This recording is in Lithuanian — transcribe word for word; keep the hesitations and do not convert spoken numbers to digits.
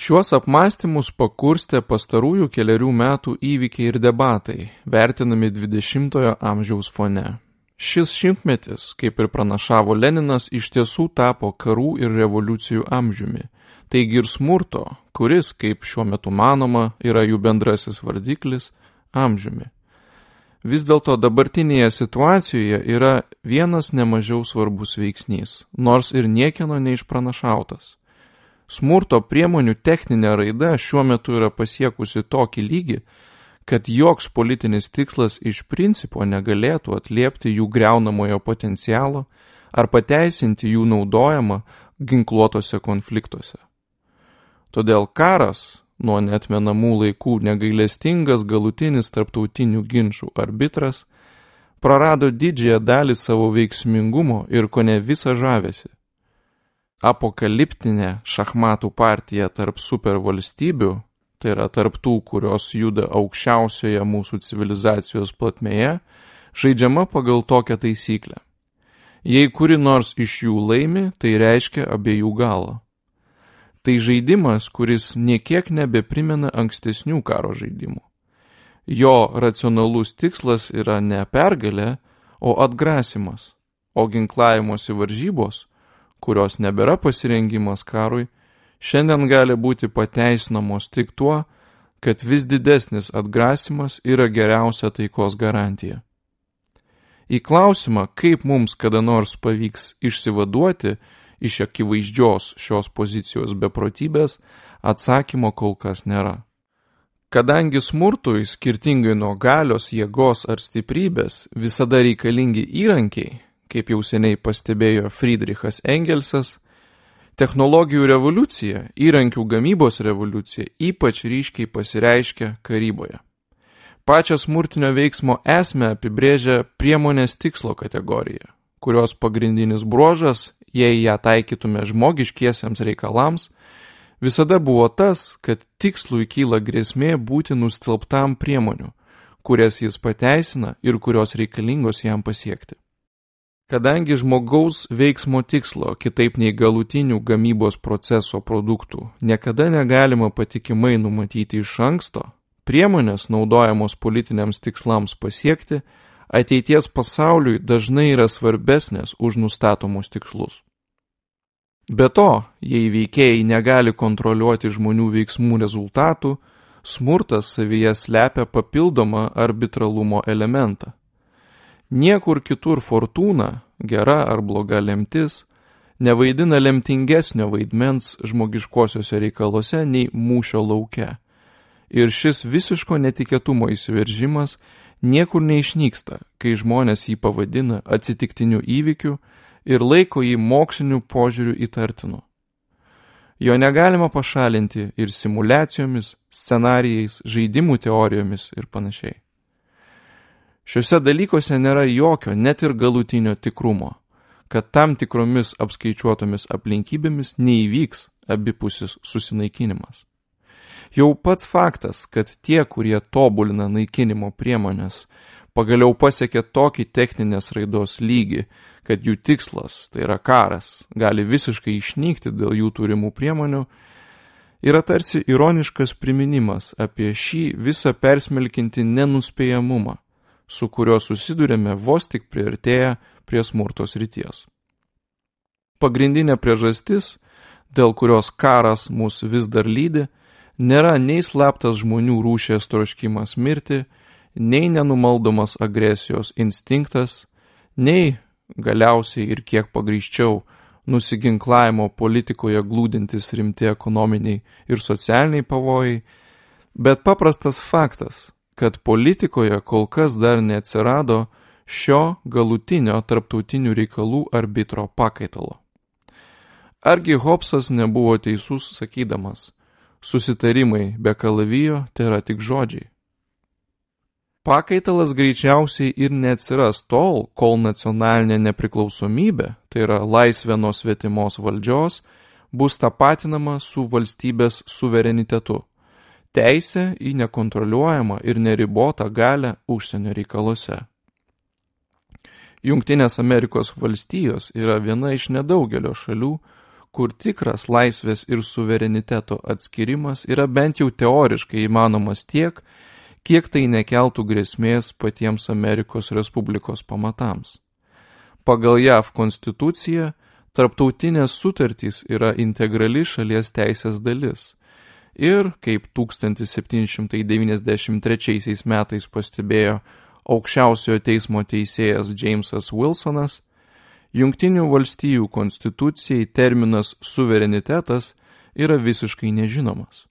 Šiuos apmąstymus pakurstė pastarųjų kelerių metų įvykiai ir debatai, vertinami dvidešimtojo amžiaus fone. Šis šimtmetis, kaip ir pranašavo Leninas, iš tiesų tapo karų ir revoliucijų amžiumi. Taigi ir smurto, kuris, kaip šiuo metu manoma, yra jų bendrasis vardiklis, amžiumi. Vis dėlto dabartinėje situacijoje yra vienas nemažiau svarbus veiksnys, nors ir niekieno neišpranašautas. Smurto priemonių techninė raida šiuo metu yra pasiekusi tokį lygį, kad joks politinis tikslas iš principo negalėtų atliepti jų griaunamojo potencialo ar pateisinti jų naudojimą ginkluotose konfliktuose. Todėl karas, nuo neatmenamų laikų negailestingas galutinis tarptautinių ginčų arbitras, prarado didžiąją dalį savo veiksmingumo ir kone visą žavesį. Apokaliptinė šachmatų partija tarp supervalstybių, tai yra tarp tų, kurios juda aukščiausioje mūsų civilizacijos plotmėje, žaidžiama pagal tokią taisyklę. Jei kuri nors iš jų laimi, tai reiškia abiejų galą. Tai žaidimas, kuris niekiek nebeprimena ankstesnių karo žaidimų. Jo racionalus tikslas yra ne pergalė, o atgrasimas, o ginklavimosi varžybos, kurios nebėra pasirengimas karui, šiandien gali būti pateisinamos tik tuo, kad vis didesnis atgrasimas yra geriausia taikos garantija. Į klausimą, kaip mums kada nors pavyks išsivaduoti iš akivaizdžios šios pozicijos beprotybės, atsakymo kol kas nėra. Kadangi smurtui, skirtingai nuo galios, jėgos ar stiprybės, visada reikalingi įrankiai, kaip jau seniai pastebėjo Friedrichas Engelsas, technologijų revoliucija, įrankių gamybos revoliucija ypač ryškiai pasireiškia karyboje. Pačią smurtinio veiksmo esmę apibrėžia priemonės tikslo kategorija, kurios pagrindinis bruožas, jei ją taikytume žmogiškiesiems reikalams, visada buvo tas, kad tikslui kyla grėsmė būti nustelbtam priemonių, kurias jis pateisina ir kurios reikalingos jam pasiekti. Kadangi žmogaus veiksmo tikslo, kitaip nei galutinių gamybos proceso produktų, niekada negalima patikimai numatyti iš anksto, priemonės naudojamos politiniams tikslams pasiekti, ateities pasauliui dažnai yra svarbesnės už nustatomus tikslus. Be to, jei veikėjai negali kontroliuoti žmonių veiksmų rezultatų, smurtas savyje slepia papildomą arbitralumo elementą. Niekur kitur fortūna, gera ar bloga lemtis, nevaidina lemtingesnio vaidmens žmogiškosiuose reikaluose nei mūšio lauke. Ir šis visiško netikėtumo įsiveržimas niekur neišnyksta, kai žmonės jį pavadina atsitiktiniu įvykiu ir laiko jį moksliniu požiūriu įtartinu. Jo negalima pašalinti ir simuliacijomis, scenarijais, žaidimų teorijomis ir panašiai. Šiuose dalykuose nėra jokio, net ir galutinio tikrumo, kad tam tikromis apskaičiuotomis aplinkybėmis neįvyks abipusis susinaikinimas. Jau pats faktas, kad tie, kurie tobulina naikinimo priemonės, pagaliau pasiekė tokį techninės raidos lygį, kad jų tikslas, tai yra karas, gali visiškai išnykti dėl jų turimų priemonių, yra tarsi ironiškas priminimas apie šį visą persmelkinti nenuspėjamumą, su kuriuo susidurėme vos tik priartėję prie smurto srities. Pagrindinė priežastis, dėl kurios karas mus vis dar lydi, nėra nei slaptas žmonių rūšies troškimas mirti, nei nenumaldomas agresijos instinktas, nei galiausiai ir kiek pagrįsčiau nusiginklavimo politikoje glūdintis rimti ekonominiai ir socialiniai pavojai, bet paprastas faktas, kad politikoje kol kas dar neatsirado šio galutinio tarptautinių reikalų arbitro pakaitalo. Argi Hobbesas nebuvo teisus sakydamas, susitarimai be kalavijo tai yra tik žodžiai. Pakaitalas greičiausiai ir neatsiras tol, kol nacionalinė nepriklausomybė, tai yra laisvė nuo svetimos valdžios, bus tapatinama su valstybės suverenitetu. Teisė į nekontroliuojamą ir neribotą galią užsienio reikaluose. Jungtinės Amerikos valstijos yra viena iš nedaugelio šalių, kur tikras laisvės ir suvereniteto atskirimas yra bent jau teoriškai įmanomas tiek, kiek tai nekeltų grėsmės patiems Amerikos Respublikos pamatams. Pagal J A V konstituciją, tarptautinės sutartys yra integrali šalies teisės dalis. Ir, kaip tūkstantis septyni šimtai devyniasdešimt trečiaisiais metais pastebėjo aukščiausiojo teismo teisėjas Jamesas Wilsonas, Jungtinių valstijų konstitucijai terminas suverenitetas yra visiškai nežinomas.